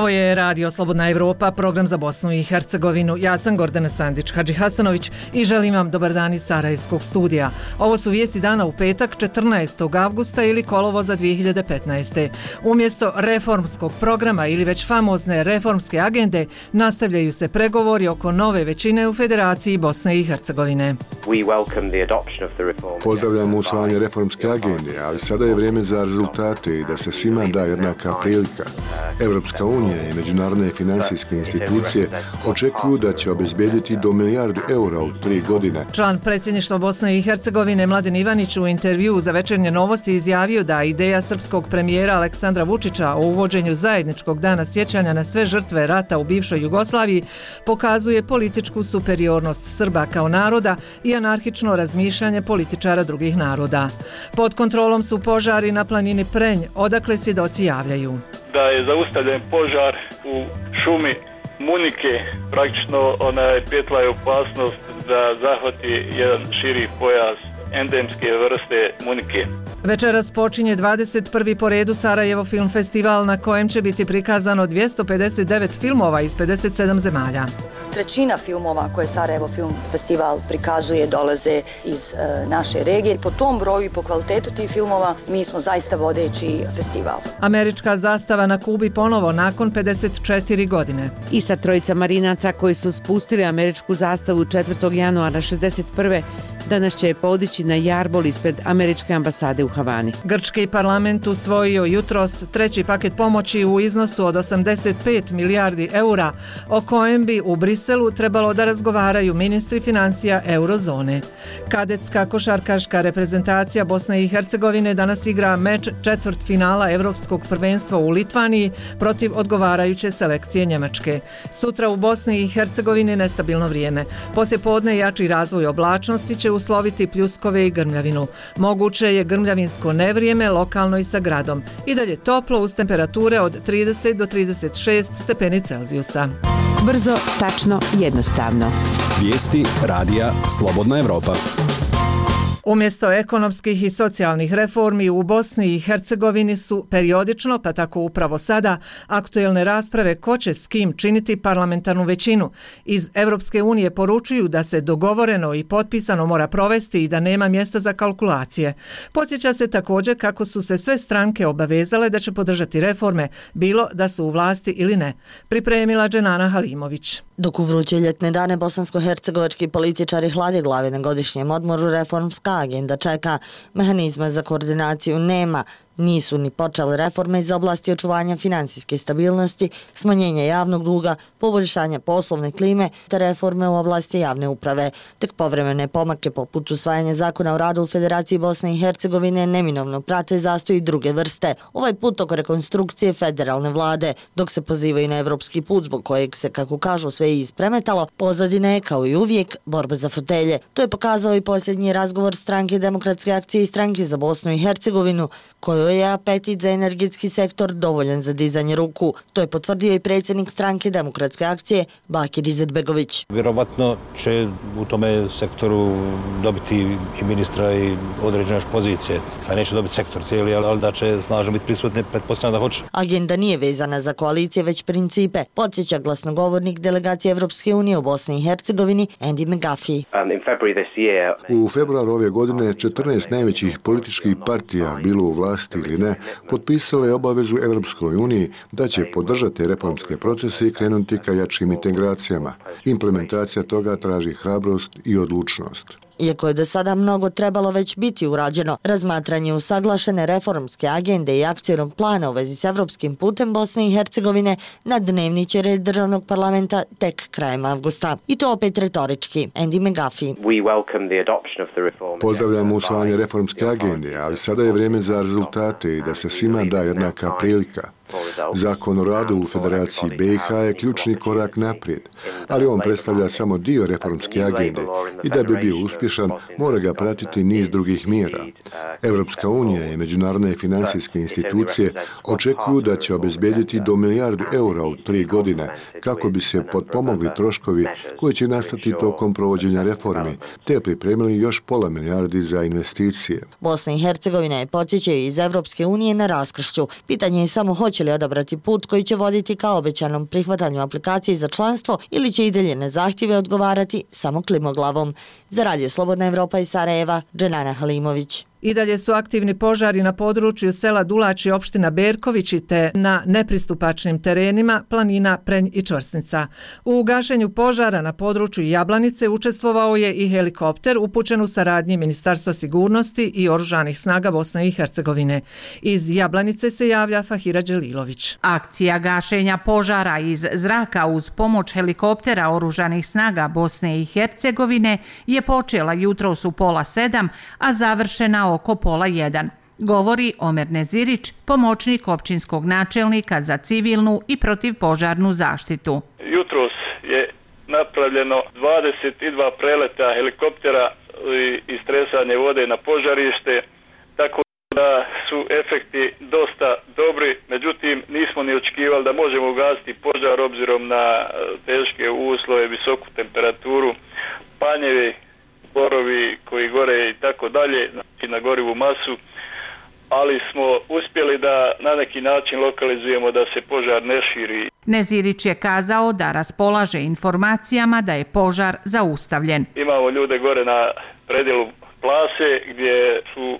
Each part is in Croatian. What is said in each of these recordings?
Ovo je Radio Slobodna Evropa, program za Bosnu i Hercegovinu. Ja sam Gordana Sandić-Hadžihasanović i želim vam dobar dan iz Sarajevskog studija. Ovo su vijesti dana u petak 14. avgusta ili kolovoza 2015. Umjesto reformskog programa ili već famozne reformske agende nastavljaju se pregovori oko nove većine u Federaciji Bosne i Hercegovine. Pozdravljamo usvajanje reformske agende, ali sada je vrijeme za rezultate i da se svima da jednaka prilika. Evropska unija i međunarodne financijske institucije očekuju da će obezbijediti do milijardu eura u 3 godine. Član predsjedništva Bosne i Hercegovine Mladen Ivanić u intervjuu za Večernje novosti izjavio da ideja srpskog premijera Aleksandra Vučića o uvođenju zajedničkog dana sjećanja na sve žrtve rata u bivšoj Jugoslaviji pokazuje političku superiornost Srba kao naroda i anarhično razmišljanje političara drugih naroda. Pod kontrolom su požari na planini Prenj, odakle svjedoci javljaju da je zaustavljen požar u šumi Munike. Praktično prijetila je opasnost da zahvati jedan širi pojas endemske vrste Munike. Večeras počinje 21. po redu Sarajevo Film Festival na kojem će biti prikazano 259 filmova iz 57 zemalja. Trećina filmova koje Sarajevo Film Festival prikazuje dolaze iz naše regije. Po tom broju i po kvalitetu tih filmova mi smo zaista vodeći festival. Američka zastava na Kubi ponovo nakon 54 godine. I sa trojica marinaca koji su spustili američku zastavu 4. januara 61. danas će je podići na jarbol ispred američke ambasade u Havani. Grčki parlament usvojio jutros treći paket pomoći u iznosu od 85 milijardi eura, o kojem bi u Briselu trebalo da razgovaraju ministri financija eurozone. Kadetska košarkaška reprezentacija Bosne i Hercegovine danas igra meč četvrtfinala Evropskog prvenstva u Litvaniji protiv odgovarajuće selekcije Njemačke. Sutra u Bosni i Hercegovini nestabilno vrijeme. Poslijepodne jači razvoj oblačnosti će usloviti pljuskove i grmljavinu. Moguće je grmljavinsko nevrijeme lokalno i sa gradom. I dalje toplo uz temperature od 30 do 36 stepeni Celzijusa. Brzo, tačno, jednostavno. Vijesti Radija Slobodna Evropa. Umjesto ekonomskih i socijalnih reformi u Bosni i Hercegovini su periodično, pa tako upravo sada, aktuelne rasprave ko će s kim činiti parlamentarnu većinu. Iz Evropske unije poručuju da se dogovoreno i potpisano mora provesti i da nema mjesta za kalkulacije. Podsjeća se također kako su se sve stranke obavezale da će podržati reforme, bilo da su u vlasti ili ne. Pripremila Dženana Halimović. Dok u vruće ljetne dane bosansko-hercegovački političari hlade glave na godišnjem odmoru, reformska agenda čeka. Mehanizma za koordinaciju nema. Nisu ni počele reforme iz oblasti očuvanja finansijske stabilnosti, smanjenja javnog duga, poboljšanja poslovne klime te reforme u oblasti javne uprave. Tek povremene pomake poput usvajanja zakona o radu u Federaciji Bosne i Hercegovine neminovno prate zastoj i druge vrste. Ovaj put oko rekonstrukcije federalne vlade, dok se pozivaju na evropski put zbog kojeg se, kako kažu, sve ispremetalo, pozadina je kao i uvijek borba za fotelje. To je pokazao i posljednji razgovor stranke Demokratske akcije i stranke za Bosnu i Hercegovinu, kojoj je apetit za energetski sektor dovoljan za dizanje ruku. To je potvrdio i predsjednik stranke Demokratske akcije Bakir Izetbegović. Vjerovatno će u tome sektoru dobiti i ministra i određene pozicije. Neće dobiti sektor cijeli, ali da će snažno biti prisutni, pretpostavljam da hoće. Agenda nije vezana za koalicije, već principe, podsjeća glasnogovornik delegacije Evropske unije u Bosni i Hercegovini Andy McGuffey. U februaru ove godine 14 najvećih političkih partija, bilo u vlasti ili ne, potpisala je obavezu Evropskoj uniji da će podržati reformske procese i krenuti ka jačim integracijama. Implementacija toga traži hrabrost i odlučnost. Iako je do sada mnogo trebalo već biti urađeno, razmatranje usaglašene reformske agende i akcijnog plana u vezi s evropskim putem Bosne i Hercegovine na dnevni će red državnog parlamenta tek krajem avgusta. I to opet retorički. Andy McGuffey. Pozdravljamo usvajanje reformske agende, ali sada je vrijeme za rezultate i da se svima da jednaka prilika. Zakon o radu u Federaciji BiH je ključni korak naprijed, ali on predstavlja samo dio reformske agende i da bi bio uspješan mora ga pratiti niz drugih mjera. Evropska unija i međunarodne financijske institucije očekuju da će obezbijediti do milijardu eura u 3 godine kako bi se potpomogli troškovi koji će nastati tokom provođenja reformi, te pripremili još pola milijardi za investicije. Bosna i Hercegovina je, podsjećaju iz Evropske unije, na raskršću. Pitanje je samo hoće hoće li odabrati put koji će voditi ka obećanom prihvatanju aplikacije za članstvo ili će i dalje na zahtjeve odgovarati samo klimoglavom. Za Radio Slobodna Evropa iz Sarajeva, Dženana Halimović. I dalje su aktivni požari na području sela Dulači opština Berkovići te na nepristupačnim terenima planina Prenj i Čvrsnica. U gašenju požara na području Jablanice učestvovao je i helikopter upućen u saradnji Ministarstva sigurnosti i Oružanih snaga Bosne i Hercegovine. Iz Jablanice se javlja Fahira Đelilović. Akcija gašenja požara iz zraka uz pomoć helikoptera Oružanih snaga Bosne i Hercegovine je počela jutros u 6:30, a završena oko 12:30, govori Omer Nezirić, pomoćnik općinskog načelnika za civilnu i protivpožarnu zaštitu. Jutros je napravljeno 22 preleta helikoptera i istresanje vode na požarište, tako da su efekti dosta dobri, međutim nismo ni očekivali da možemo ugasiti požar obzirom na teške uslove, visoku temperaturu, panjevi, borovi koji gore i tako dalje, znači na gorivu masu, ali smo uspjeli da na neki način lokalizujemo da se požar ne širi. Nezirić je kazao da raspolaže informacijama da je požar zaustavljen. Imamo ljude gore na predjelu Plase gdje su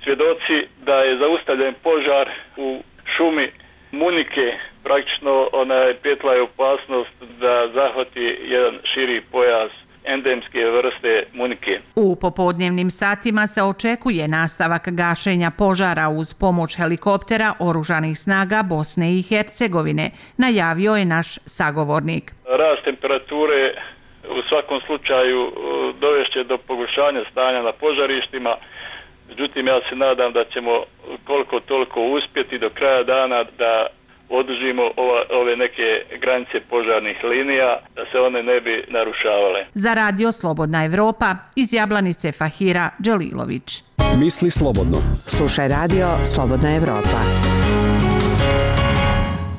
svjedoci da je zaustavljen požar u šumi Munike. Praktično petla je opasnost da zahvati jedan širi pojas endemske vrste munike. U popodnevnim satima se očekuje nastavak gašenja požara uz pomoć helikoptera Oružanih snaga Bosne i Hercegovine, najavio je naš sagovornik. Rast temperature u svakom slučaju dovešće do pogoršanja stanja na požarištima, međutim ja se nadam da ćemo koliko toliko uspjeti do kraja dana da održimo ove neke granice požarnih linija, da se one ne bi narušavale. Za Radio Slobodna Evropa iz Jablanice Fahira Đelilović. Misli slobodno. Slušaj Radio Slobodna Evropa.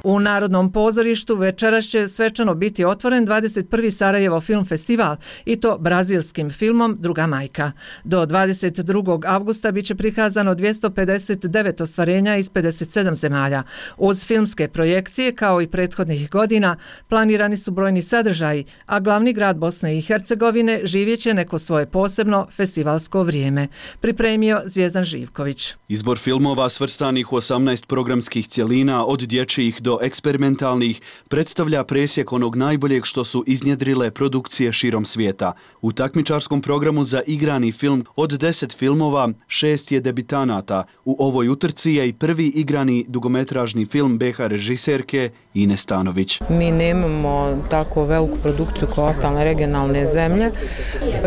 U Narodnom pozorištu večeras će svečano biti otvoren 21. Sarajevo film festival i to brazilskim filmom Druga majka. Do 22. avgusta biće prikazano 259 ostvarenja iz 57 zemalja. Uz filmske projekcije, kao i prethodnih godina, planirani su brojni sadržaji, a glavni grad Bosne i Hercegovine živjet će neko svoje posebno festivalsko vrijeme. Pripremio Zvijezdan Živković. Izbor filmova svrstanih u 18 programskih cjelina od dječjih do eksperimentalnih predstavlja presjek onog najboljeg što su iznjedrile produkcije širom svijeta. U takmičarskom programu za igrani film od 10 filmova 6 je debitanata. U ovoj utrci je i prvi igrani dugometražni film BiH režiserke Ine Stanović. Mi nemamo tako veliku produkciju kao ostale regionalne zemlje.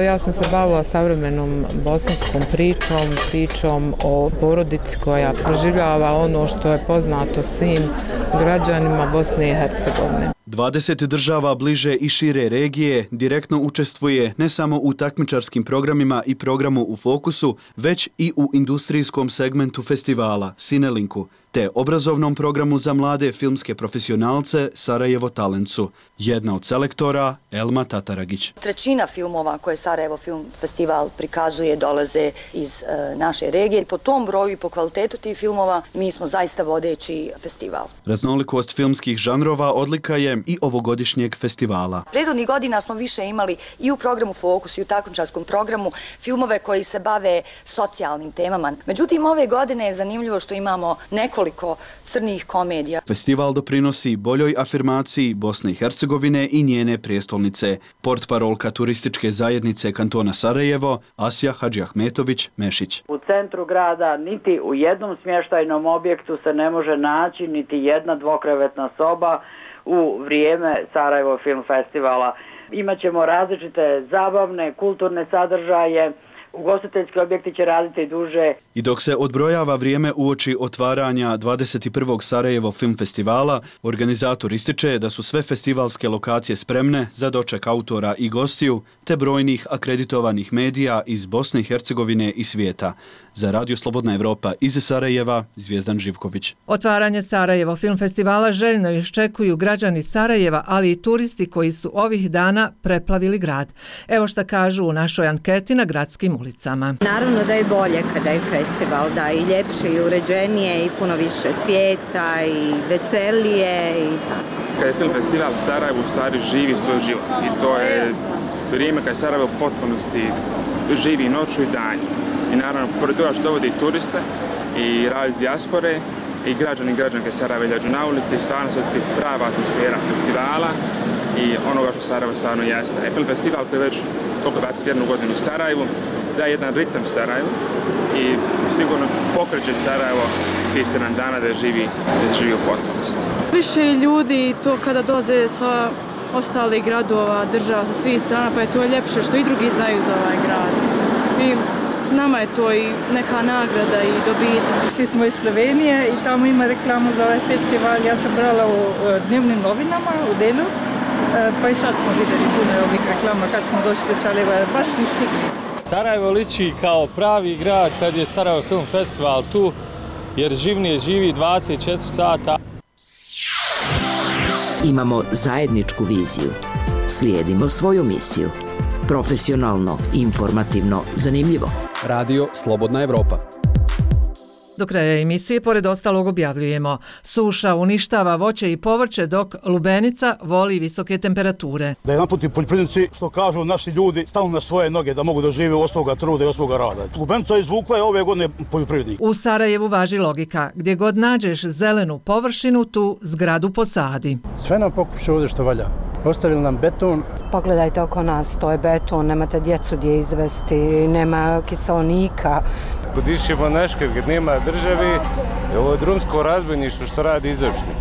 Ja sam se bavila savremenom bosanskom pričom o porodici koja proživljava ono što je poznato svim građanima Bosne i Hercegovine. 20 država bliže i šire regije direktno učestvuje ne samo u takmičarskim programima i programu u fokusu, već i u industrijskom segmentu festivala Sinelinku, te obrazovnom programu za mlade filmske profesionalce Sarajevo Talencu. Jedna od selektora, Elma Tataragić. Trećina filmova koje Sarajevo Film Festival prikazuje dolaze iz naše regije. Po tom broju i po kvalitetu tih filmova mi smo zaista vodeći festival. Raznolikost filmskih žanrova odlika je i ovogodišnjeg festivala. Prethodnih godina smo više imali i u programu Fokus i u takmičarskom programu filmove koji se bave socijalnim temama. Međutim, ove godine je zanimljivo što imamo nekoliko crnih komedija. Festival doprinosi boljoj afirmaciji Bosne i Hercegovine i njene prijestolnice. Portparolka turističke zajednice kantona Sarajevo, Asja Hadžiahmetović-Mešić. U centru grada niti u jednom smještajnom objektu se ne može naći niti jedna dvokrevetna soba u vrijeme Sarajevo Film Festivala. Imaćemo različite zabavne, kulturne sadržaje, ugostiteljski objekti će raditi duže. I dok se odbrojava vrijeme uoči otvaranja 21. Sarajevo Film Festivala, organizator ističe da su sve festivalske lokacije spremne za doček autora i gostiju, te brojnih akreditovanih medija iz Bosne i Hercegovine i svijeta. Za Radio Slobodna Evropa iz Sarajeva, Zvijezdan Živković. Otvaranje Sarajevo Film Festivala željno iščekuju građani Sarajeva, ali i turisti koji su ovih dana preplavili grad. Evo šta kažu u našoj anketi na gradskim ulicama. ulicama. Naravno da je bolje kada je festival, da i ljepše i uređenije i puno više svijeta i veselije i tako. Kad je film festival, Sarajevo u stvari živi svoj život i to je vrijeme kad Sarajevo u potpunosti živi noću i danju. I naravno, pored toga što dovodi turiste i radi iz dijaspore i građani i građanke Sarajeva izađu na ulici i stvarno se osjeti prava atmosfera festivala i onoga što Sarajevo stvarno jeste. Film festival koji je već koliko 21 godinu u Sarajevu daje jedan ritam Sarajevu i sigurno pokreće Sarajevo tih 7 dana da živi u potpunosti. Više ljudi to kada dolaze sa ostalih gradova, država sa svih strana, pa je to ljepše što i drugi znaju za ovaj grad. I nama je to i neka nagrada i dobitak. Mi smo iz Slovenije i tamo ima reklamu za ovaj festival. Ja sam brala u dnevnim novinama u Delu, pa i sad smo vidjeli puno ovih reklama kad smo došli do Sarajeva, baš mi stigli. Sarajevo liči kao pravi grad kad je Sarajevo Film Festival tu, jer živnije živi 24 sata. Imamo zajedničku viziju. Slijedimo svoju misiju. Profesionalno, informativno, zanimljivo. Radio Slobodna Evropa. Do kraja emisije, pored ostalog, objavljujemo: suša uništava voće i povrće, dok lubenica voli visoke temperature. Da je naputi poljoprivrednici, što kažu naši ljudi, stanu na svoje noge da mogu da žive od svoga truda i od svoga rada. Lubenica izvukla je ove godine poljoprivrednik. U Sarajevu važi logika: gdje god nađeš zelenu površinu, tu zgradu posadi. Sve nam pokuša ovdje što valja. Ostavili nam beton. Pogledajte oko nas, to je beton, nemate djecu gdje izvesti, nema kiseonika. Dišemo naškad kad nema državi, ovo je drumsko razbojništvo što radi izvršni.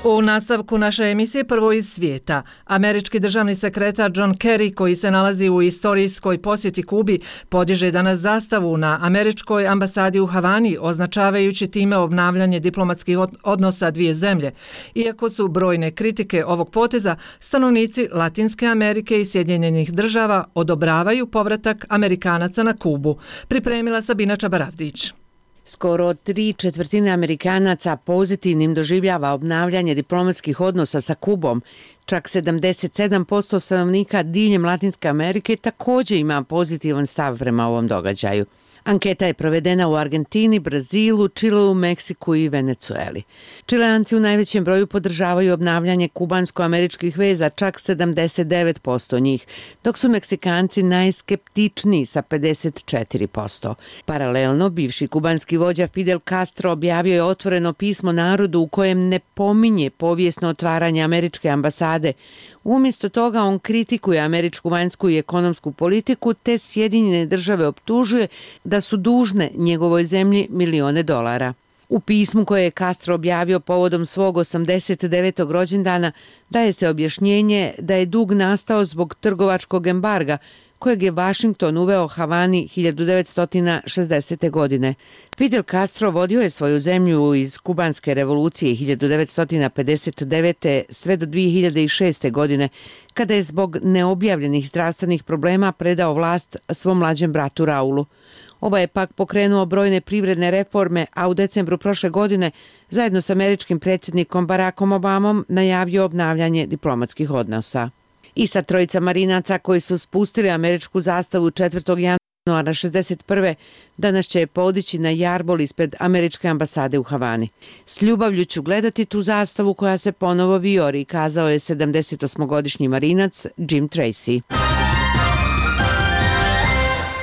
U nastavku naše emisije prvo iz svijeta. Američki državni sekretar John Kerry, koji se nalazi u istorijskoj posjeti Kubi, podiže danas zastavu na američkoj ambasadi u Havani, označavajući time obnavljanje diplomatskih odnosa dvije zemlje. Iako su brojne kritike ovog poteza, stanovnici Latinske Amerike i Sjedinjenih država odobravaju povratak Amerikanaca na Kubu. Pripremila Sabina Čabaravdić. Skoro 3/4 Amerikanaca pozitivnim doživljava obnavljanje diplomatskih odnosa sa Kubom. Čak 77% stanovnika diljem Latinske Amerike također ima pozitivan stav prema ovom događaju. Anketa je provedena u Argentini, Brazilu, Čileu, Meksiku i Venecueli. Čileanci u najvećem broju podržavaju obnavljanje kubansko-američkih veza, čak 79% njih, dok su Meksikanci najskeptičniji sa 54%. Paralelno, bivši kubanski vođa Fidel Castro objavio je otvoreno pismo narodu u kojem ne pominje povijesno otvaranje američke ambasade. Umjesto toga on kritikuje američku vanjsku i ekonomsku politiku te Sjedinjene države optužuje da su dužne njegovoj zemlji milione dolara. U pismu koje je Castro objavio povodom svog 89. rođendana daje se objašnjenje da je dug nastao zbog trgovačkog embarga kojeg je Washington uveo Havani 1960. godine. Fidel Castro vodio je svoju zemlju iz kubanske revolucije 1959. sve do 2006. godine, kada je zbog neobjavljenih zdravstvenih problema predao vlast svom mlađem bratu Raulu. Ovaj je pak pokrenuo brojne privredne reforme, a u decembru prošle godine zajedno s američkim predsjednikom Barackom Obamom najavio obnavljanje diplomatskih odnosa. I sa trojica marinaca koji su spustili američku zastavu 4. januara 1961. danas će je podići na jarbol ispred američke ambasade u Havani. S ljubavlju ću gledati tu zastavu koja se ponovo vijori, kazao je 78-godišnji marinac Jim Tracy.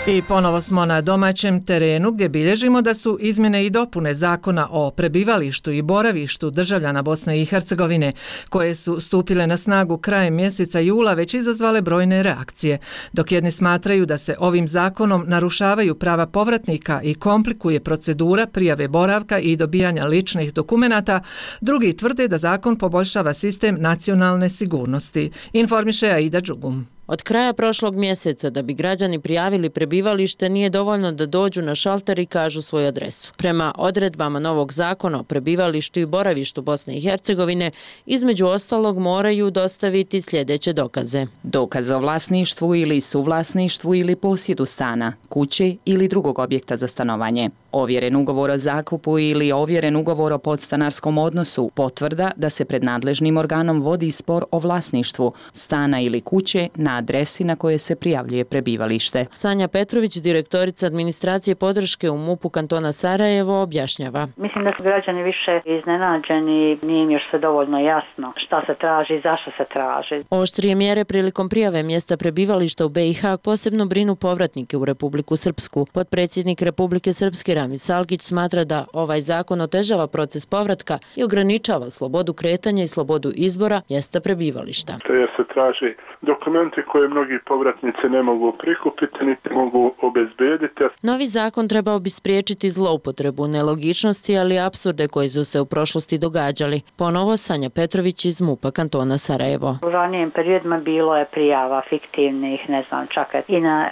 I ponovo smo na domaćem terenu gdje bilježimo da su izmjene i dopune zakona o prebivalištu i boravištu državljana Bosne i Hercegovine, koje su stupile na snagu krajem mjeseca jula, već izazvale brojne reakcije. Dok jedni smatraju da se ovim zakonom narušavaju prava povratnika i komplikuje procedura prijave boravka i dobijanja ličnih dokumenata, drugi tvrde da zakon poboljšava sistem nacionalne sigurnosti. Informiše Aida Đugum. Od kraja prošlog mjeseca da bi građani prijavili prebivalište nije dovoljno da dođu na šalter i kažu svoju adresu. Prema odredbama novog zakona o prebivalištu i boravištu Bosne i Hercegovine, između ostalog moraju dostaviti sljedeće dokaze. Dokaz o vlasništvu ili suvlasništvu ili posjedu stana, kuće ili drugog objekta za stanovanje. Ovjeren ugovor o zakupu ili ovjeren ugovor o podstanarskom odnosu, potvrda da se pred nadležnim organom vodi spor o vlasništvu stana ili kuće, na adresi na koje se prijavljuje prebivalište. Sanja Petrović, direktorica administracije podrške u MUP-u kantona Sarajevo, objašnjava. Mislim da su građani više iznenađeni, nije im još sve dovoljno jasno šta se traži i zašto se traži. Oštrije mjere prilikom prijave mjesta prebivališta u BiH posebno brinu povratnike u Republiku Srpsku. Potpredsjednik Republike Srpske Ramiz Salgić smatra da ovaj zakon otežava proces povratka i ograničava slobodu kretanja i slobodu izbora mjesta prebivališta. Jer se traži dokumenti koje mnogi povratnici ne mogu prikupiti niti mogu obezbediti. Novi zakon trebao bi spriječiti zloupotrebu, nelogičnosti, ali i apsurde koji su se u prošlosti događali. Ponovo Sanja Petrović iz MUP-a kantona Sarajevo. U ranijim periodima bilo je prijava fiktivnih, ne znam, čak i na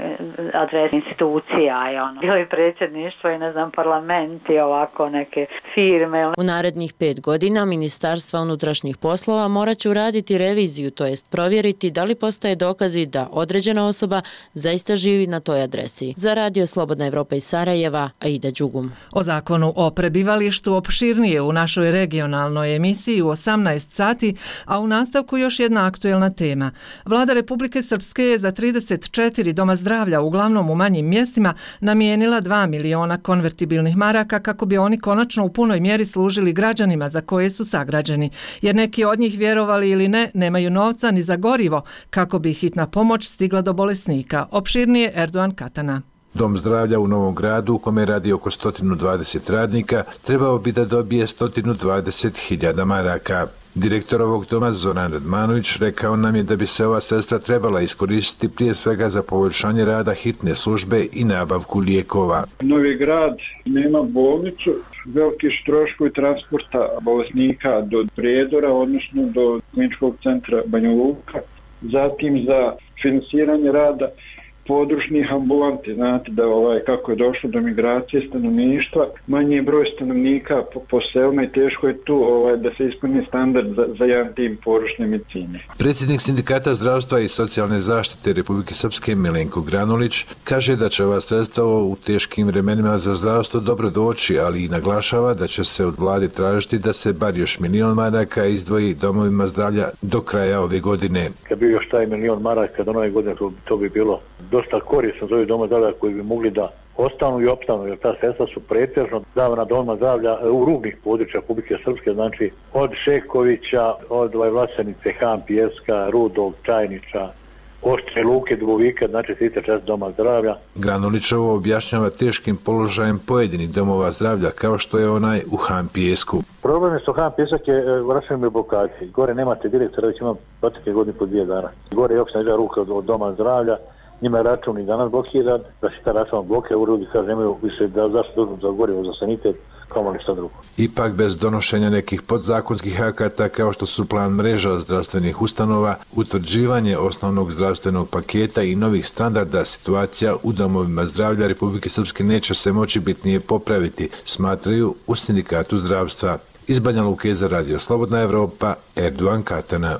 adres institucija, bilo i predsjedništvo i parlament i ovako neke firme. U narednih 5 godina Ministarstva unutrašnjih poslova morat će uraditi reviziju, to jest provjeriti da li postoje dokazi da određena osoba zaista živi na toj adresi. Za Radio Slobodna Evropa iz Sarajeva, Aida Đugum. O zakonu o prebivalištu opširnije u našoj regionalnoj emisiji u 18 sati, a u nastavku još jedna aktuelna tema. Vlada Republike Srpske je za 34 doma zdravlja, uglavnom u manjim mjestima, namijenila 2 miliona konvertibilnih maraka kako bi oni konačno u punoj mjeri služili građanima za koje su sagrađeni, jer neki od njih, vjerovali ili ne, nemaju novca ni za gorivo kako bi hitna pomoć stigla do bolesnika. Opširnije Erdogan Katana. Dom zdravlja u Novom Gradu, u kome radi oko 120 radnika, trebao bi da dobije 120.000 maraka. Direktor ovog doma Zoran Radmanović rekao nam je da bi se ova sredstva trebala iskoristiti prije svega za poboljšanje rada hitne službe i nabavku lijekova. Novi Grad nema bolnicu, veliki troškovi transporta bolesnika do Prijedora, odnosno do kliničkog centra Banja Luka, zatim za finansiranje rada područnih ambulanti. Znate da kako je došlo do migracije stanovništva, manji je broj stanovnika po selima i teško je tu da se ispuni standard za jedan tim područne medicine. Predsjednik Sindikata zdravstva i socijalne zaštite Republike Srpske Milenko Granulić kaže da će ova sredstva u teškim vremenima za zdravstvo dobro doći, ali i naglašava da će se od vlade tražiti da se bar još 1 milion maraka izdvoji domovima zdravlja do kraja ove godine. Kad bi još taj 1 milion maraka do nove godine, to bi bilo dosta korisno za ovih doma zdravlja koji bi mogli da ostanu i opstanu, jer ta sredstva su pretežno davana domama zdravlja u rubnih područja Republike Srpske, znači od Šekovića, od Vlasenice, Han, Pijeska, Rudog, Čajniča, Oštre Luke, Dubovika, znači svi te 4 doma zdravlja. Granulić ovo objašnjava teškim položajem pojedinih domova zdravlja, kao što je onaj u Han Pijesku. Problem je što Han Pijesak je u računima blokaciji. Gore nemate direktora, već ima protekle godine po 2 dana. Gore je opština iza ruka od doma zdravlja, njima je račun i danas blokiran, da se ta račun blokira, u ljudi kaže nemaju više da zašto za gorivo, za sanitet, kao li šta drugo. Ipak bez donošenja nekih podzakonskih akata kao što su plan mreža zdravstvenih ustanova, utvrđivanje osnovnog zdravstvenog paketa i novih standarda, situacija u domovima zdravlja Republike Srpske neće se moći bitnije popraviti, smatraju u Sindikatu zdravstva. Iz Banja Luke za Radio Slobodna Evropa, Erdogan Katana.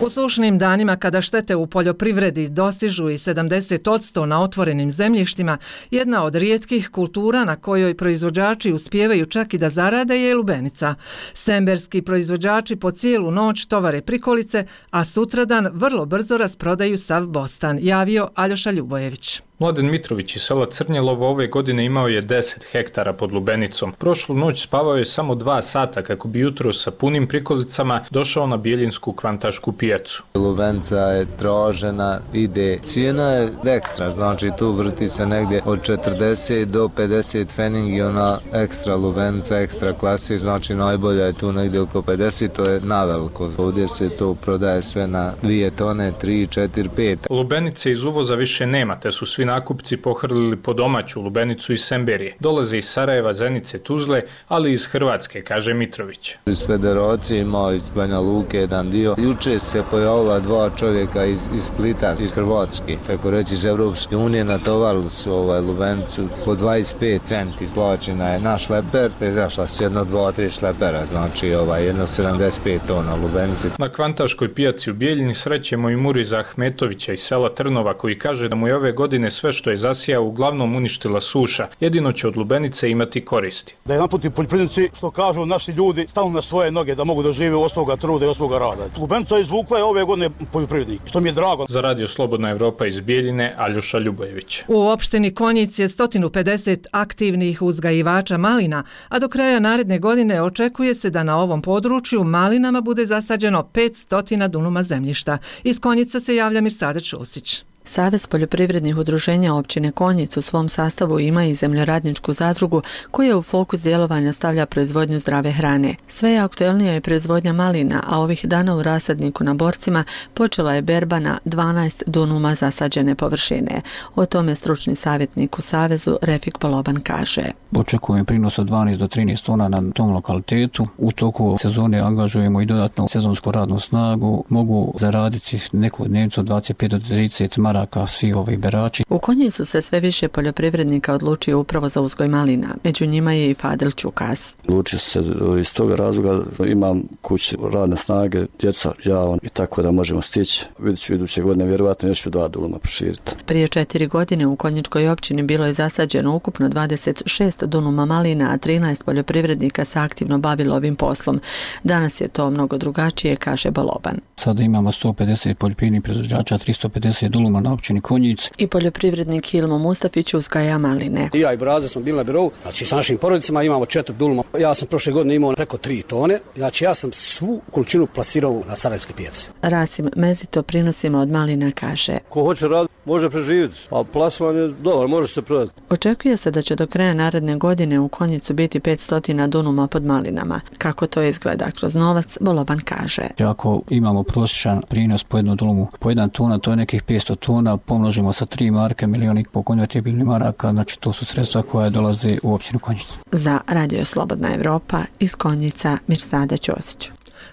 U sušnim danima kada štete u poljoprivredi dostižu i 70% na otvorenim zemljištima, jedna od rijetkih kultura na kojoj proizvođači uspijevaju čak i da zarade je lubenica. Semberski proizvođači po cijelu noć tovare prikolice, a sutradan vrlo brzo rasprodaju sav bostan, javio Aljoša Ljubojević. Mladen Mitrović iz sela Crnjelovo ove godine imao je 10 hektara pod lubenicom. Prošlu noć spavao je samo 2 sata kako bi jutro sa punim prikolicama došao na Bjeljinsku kvantašku pijacu. Lubenica je tražena, ide. Cijena je ekstra, znači tu vrti se negdje od 40 do 50 feningi, i ona ekstra lubenica, ekstra klasi, znači najbolja je tu negdje oko 50, to je naveliko. Ovdje se to prodaje sve na 2 tone, 3, 4, 5. Lubenice iz uvoza više nema, te su svi nakupci pohrlili po domaću lubenicu iz Semberije. Dolaze iz Sarajeva, Zenice, Tuzle, ali iz Hrvatske, kaže Mitrović. Iz Federacije imao iz Banja Luke jedan dio. Juče se pojavila 2 čovjeka iz Splita, iz Hrvatske, tako reći iz Evropske unije, natovarili su lubenicu po 25 centi. Izvlačena je na šleper, izašla se 1, 2, 3 šlepera, znači 1,75 tona lubenice. Na kvantaškoj pijaci u Bijeljini srećemo i Muriza Ahmetovića iz sela Trnova, koji kaže da mu je ove godine sve što je zasijao uglavnom uništila suša, jedino će od lubenice imati koristi. Da jedan put i poljoprivrednici, što kažu naši ljudi, stanu na svoje noge da mogu da žive od svoga truda i od svoga rada. Lubenica izvukla je ove godine poljoprivrednik, što mi je drago. Za Radio Slobodna Evropa iz Bijeljine, Aljoša Ljubojević. U opštini Konjic je 150 aktivnih uzgajivača malina, a do kraja naredne godine očekuje se da na ovom području malinama bude zasađeno 500 dunuma zemljišta. Iz Konjica se javlja Mirsada Ćosić. Savez poljoprivrednih udruženja općine Konjic u svom sastavu ima i zemljoradničku zadrugu koja u fokus djelovanja stavlja proizvodnju zdrave hrane. Sve je aktuelnija je proizvodnja malina, a ovih dana u rasadniku na Borcima počela je berba na 12 dunuma zasađene površine. O tome stručni savjetnik u Savezu Refik Boloban kaže. Očekujem prinos od 12 do 13 tona na tom lokalitetu. U toku sezone angažujemo i dodatnu sezonsku radnu snagu. Mogu zaraditi neku dnevnicu od 25 do 30 maraka svi ovi berači. U Konjicu se sve više poljoprivrednika odlučio upravo za uzgoj malina. Među njima je i Fadil Čukas. Odlučio se iz toga razloga, imam kući radne snage, djeca, ja i tako da možemo stići. Vidjet ću iduće godine, vjerovatno još ću 2 dunuma proširiti. Prije 4 godine u Konjičkoj općini bilo je zasađeno ukupno 26 dunuma malina, a 13 poljoprivrednika se aktivno bavilo ovim poslom. Danas je to mnogo drugačije, kaže Boloban. Sada imamo 150 poljoprivrednih proizvođača, 350 dunuma na općini Konjic. I poljoprivrednik Hilmo Mustafić uzgaja maline. I ja i Braza smo bili na birovu, znači sa našim porodicama imamo 4 dunuma. Ja sam prošle godine imao preko 3 tone, znači ja sam svu količinu plasirao na sarajevske pijace. Rasim Mezito prinosima od malina kaže. Ko hoće raditi, može preživjeti, a plasman je dobar, može se prodati. Očekuje se da će do kraja naredne godine u Konjicu biti 500 dunuma pod malinama. Kako to izgleda kroz novac, Boloban kaže. Ako imamo prosječan prinos po jednu dunumu, po 1 tona, to je nekih 500 tona, pomnožimo sa 3 marke, 1,5 miliona konvertibilnih maraka, znači to su sredstva koja dolaze u općinu Konjicu. Za Radio Slobodna Evropa iz Konjica, Mirsada Ćosić.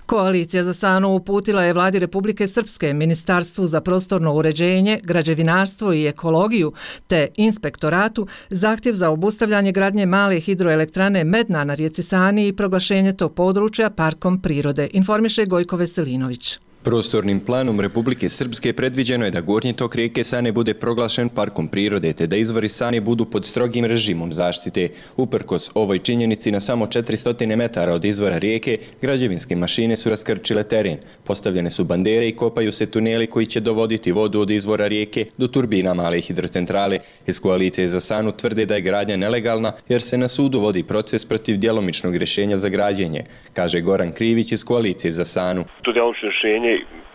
Koalicija za Sanu uputila je Vladi Republike Srpske, Ministarstvu za prostorno uređenje, građevinarstvo i ekologiju te inspektoratu zahtjev za obustavljanje gradnje male hidroelektrane Medna na rijeci Sani i proglašenje tog područja parkom prirode, informiše Gojko Veselinović. Prostornim planom Republike Srpske predviđeno je da gornji tok rijeke Sane bude proglašen parkom prirode te da izvori Sane budu pod strogim režimom zaštite. Uprkos ovoj činjenici na samo 400 metara od izvora rijeke, građevinske mašine su raskrčile teren. Postavljene su bandere i kopaju se tuneli koji će dovoditi vodu od izvora rijeke do turbina male hidrocentrale. Iz Koalicije za Sanu tvrde da je gradnja nelegalna jer se na sudu vodi proces protiv djelomičnog rješenja za građenje, kaže Goran Krivić iz Koalicije za Sanu. To djelomično rješenje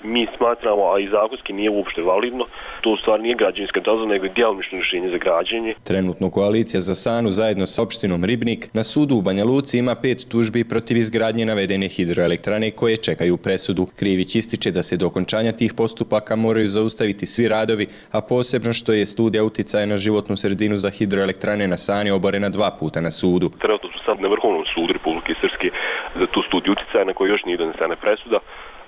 mi smatramo, a i zakonski nije uopšte validno, to u stvari nije građevinska dozvola, nego je djelomično rješenje za građenje. Trenutno Koalicija za Sanu zajedno sa opštinom Ribnik na sudu u Banja Luci ima 5 tužbi protiv izgradnje navedene hidroelektrane koje čekaju presudu. Krivić ističe da se do okončanja tih postupaka moraju zaustaviti svi radovi, a posebno što je studija uticaja na životnu sredinu za hidroelektrane na Sani oborena 2 puta na sudu. Trenutno su sad na Vrhovnom sudu Republike Srpske za tu studiju uticaja na kojoj još nije donesena presuda,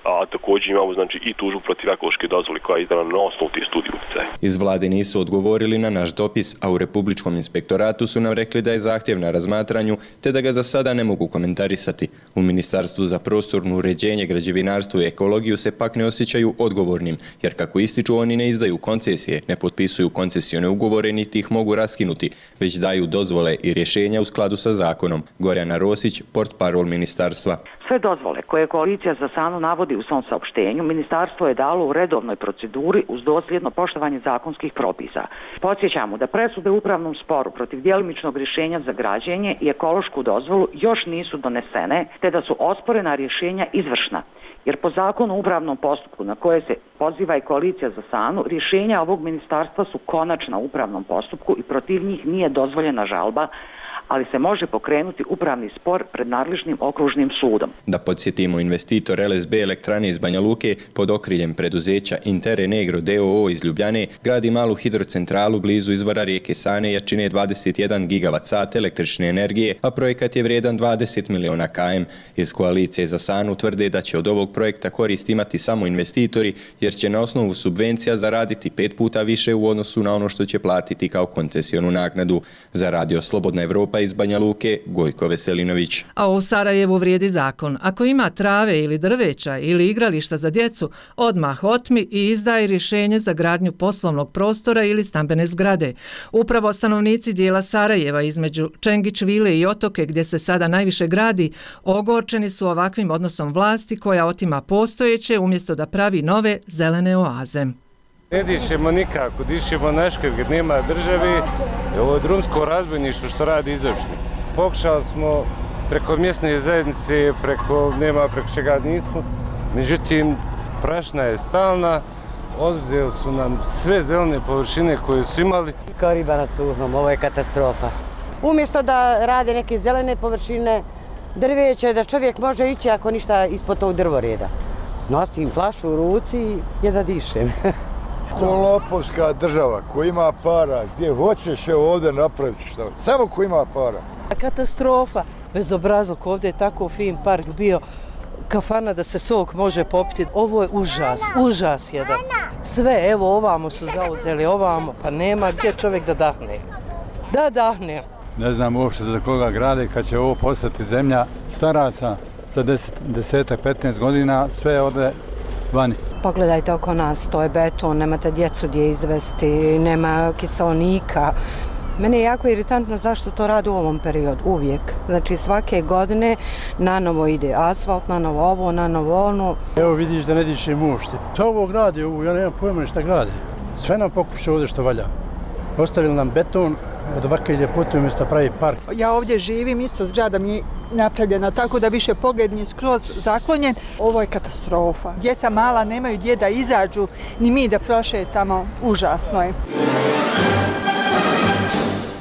a također imamo znači i tužbu protiv ekološke dozvole koja je izdana na osnovu tih studija uticaja. Iz vlade nisu odgovorili na naš dopis, a u Republičkom inspektoratu su nam rekli da je zahtjev na razmatranju te da ga za sada ne mogu komentarisati. U Ministarstvu za prostorno uređenje, građevinarstvo i ekologiju se pak ne osjećaju odgovornim, jer kako ističu oni ne izdaju koncesije, ne potpisuju koncesione ugovore niti ih mogu raskinuti, već daju dozvole i rješenja u skladu sa zakonom. Gorjana Rosić, portparol ministarstva. Sve dozvole koje Koalicija za Sanu navodi u svom saopštenju, ministarstvo je dalo u redovnoj proceduri uz dosljedno poštovanje zakonskih propisa. Podsjećamo da presude u upravnom sporu protiv djelimičnog rješenja za građenje i ekološku dozvolu još nisu donesene, te da su osporena rješenja izvršna. Jer po zakonu o upravnom postupku na koje se poziva i Koalicija za Sanu, rješenja ovog ministarstva su konačna u upravnom postupku i protiv njih nije dozvoljena žalba, ali se može pokrenuti upravni spor pred nadležnim okružnim sudom. Da podsjetimo, investitor LSB elektrane iz Banja Luke pod okriljem preduzeća Intere Negro DOO iz Ljubljane gradi malu hidrocentralu blizu izvora rijeke Sane jačine 21 gigavat-sat električne energije, a projekat je vrijedan 20 miliona km. Iz Koalicije za Sanu tvrde da će od ovog projekta korist imati samo investitori, jer će na osnovu subvencija zaraditi 5 puta više u odnosu na ono što će platiti kao koncesionu naknadu. Za Radio Slobodna Evropa nastupa iz Banja Luke Gojko Veselinović. A u Sarajevu vrijedi zakon. Ako ima trave ili drveća ili igrališta za djecu, odmah otmi i izdaj rješenje za gradnju poslovnog prostora ili stambene zgrade. Upravo stanovnici dijela Sarajeva između Čengić vile i Otoke, gdje se sada najviše gradi, ogorčeni su ovakvim odnosom vlasti koja otima postojeće umjesto da pravi nove zelene oaze. Ne dišemo nikako, dišemo naškar gdje nema državi. Ovo je drumsko razbojništvo što radi izvršni. Pokušali smo preko mjesne zajednice, preko čega nismo. Međutim, prašna je stalna. Oduzeli su nam sve zelene površine koje su imali. Kao riba na suhom, ovo je katastrofa. Umjesto da rade neke zelene površine, drveće, da čovjek može ići ako ništa ispod tog drvoreda. Nosim flašu u ruci i da dišem. Lopovska država koja ima para, gdje hoćeš je ovdje napraviti šta. Samo ko ima para. Katastrofa. Bezobrazluk, ovdje je tako fin park bio. Kafana da se sok može popiti. Ovo je užas jedan. Sve, evo ovamo su zauzeli, ovamo, pa nema gdje čovjek da dahne. Da dahne. Ne znam uopšte za koga grade kad će ovo postati zemlja staraca za 10-15 godina, sve ode vani. Pogledajte oko nas, to je beton, nemate djecu gdje izvesti, nema kiseonika. Mene je jako iritantno zašto to radi u ovom periodu, uvijek. Znači svake godine na novo ide asfalt, na novo ovo, na novo ono. Evo vidiš da ne dišem uopšte. Šta ovo gradi, ja nemam pojma šta gradi. Sve nam pokuša ovdje što valja. Ostavili nam beton, od ovakve ljepote umjesto pravi park. Ja ovdje živim, isto zgrada mi je napravljena tako da više pogled nije skroz zaklonjen. Ovo je katastrofa. Djeca mala nemaju gdje da izađu, ni mi da prošetamo, užasno je.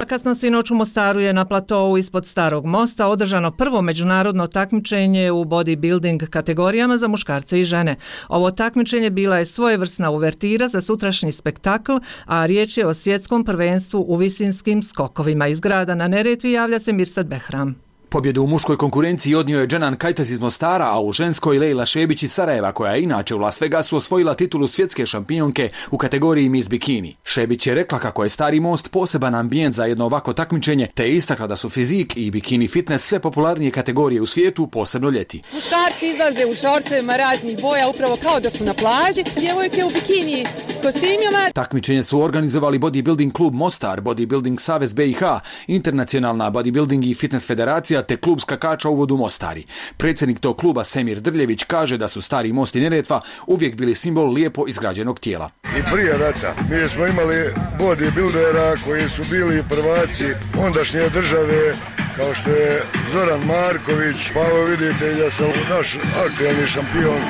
Kasno sinoć u Mostaru je na platou ispod Starog mosta održano prvo međunarodno takmičenje u bodybuilding kategorijama za muškarce i žene. Ovo takmičenje bila je svojevrsna uvertira za sutrašnji spektakl, a riječ je o svjetskom prvenstvu u visinskim skokovima. Iz grada na Neretvi javlja se Mirsad Behram. Pobjedu u muškoj konkurenciji odnio je Dženan Kajtaz iz Mostara, a u ženskoj Lejla Šebić iz Sarajeva, koja je inače u Las Vegasu osvojila titulu svjetske šampionke u kategoriji Miss Bikini. Šebić je rekla kako je Stari most poseban ambijent za jedno ovako takmičenje, te je istakla da su fizik i bikini fitness sve popularnije kategorije u svijetu, posebno ljeti. Muškarci izlaze u šortovima raznih boja, upravo kao da su na plaži, djevojke u bikini kostimima. Takmičenje su organizovali Bodybuilding klub Mostar, Bodybuilding Savez BiH, Internacionalna Bodybuilding i Fitness Federacija te klub skakača u vodu Mostari. Predsjednik tog kluba Semir Drljević kaže da su Stari most i Neretva uvijek bili simbol lijepo izgrađenog tijela. I prije rata mi smo imali bodybuildera koji su bili prvaci ondašnje države, kao što je Zoran Marković, pa ovo vidite da se naš aktualni šampion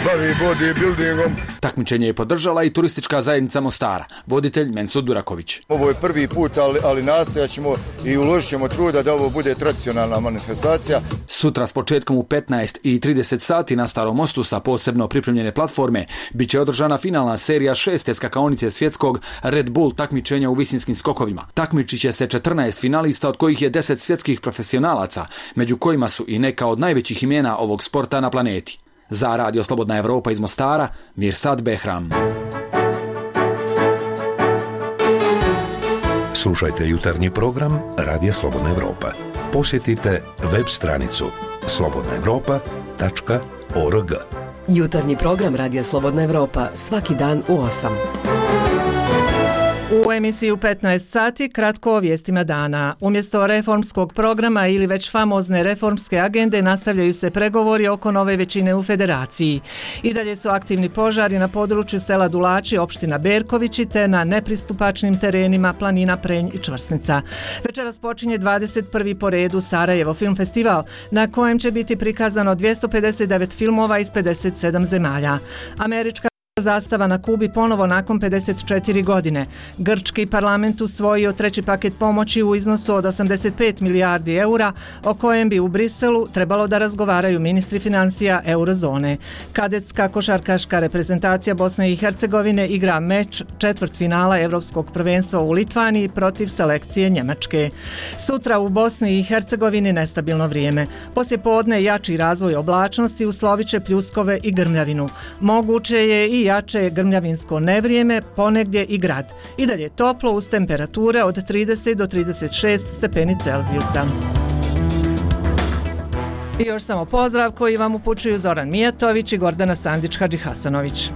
bavi bodybuildingom. Takmičenje je podržala i turistička zajednica Mostara, voditelj Mensud Duraković. Ovo je prvi put, ali nastojat ćemo i uložit ćemo truda da ovo bude tradicionalna manifestacija. Sutra s početkom u 15:30 sati na Starom mostu sa posebno pripremljene platforme bit će održana finalna serija 6. skakaonice svjetskog Red Bull takmičenja u visinskim skokovima. Takmičit će se 14 finalista, od kojih je 10 svjetskih profesionalaca, među kojima su i neka od najvećih imena ovog sporta na planeti. Za Radio Slobodna Evropa iz Mostara, Mirsad Behram. Slušajte jutarnji program Radija Slobodna Evropa. Posjetite web stranicu slobodnaevropa.org. Jutarnji program Radija Slobodna Evropa svaki dan u 8. U emisiji u 15 sati kratko o vijestima dana. Umjesto reformskog programa ili već famozne reformske agende nastavljaju se pregovori oko nove većine u federaciji. I dalje su aktivni požari na području sela Dulači, opština Berkovići, te na nepristupačnim terenima planina Prenj i Čvrsnica. Večeras počinje 21. po redu Sarajevo film festival, na kojem će biti prikazano 259 filmova iz 57 zemalja. Američka zastava na Kubi ponovo nakon 54 godine. Grčki parlament usvojio treći paket pomoći u iznosu od 85 milijardi eura, o kojem bi u Briselu trebalo da razgovaraju ministri financija eurozone. Kadetska košarkaška reprezentacija Bosne i Hercegovine igra meč četvrtfinala Evropskog prvenstva u Litvaniji protiv selekcije Njemačke. Sutra u Bosni i Hercegovini nestabilno vrijeme. Poslije podne jači razvoj oblačnosti uslovit će pljuskove i grmljavinu. Moguće je i jače grmljavinsko nevrijeme, ponegdje i grad. I dalje toplo uz temperature od 30 do 36 stepeni Celzijusa. I još samo pozdrav koji vam upućuju Zoran Mijatović i Gordana Sandić-Hadžihasanović.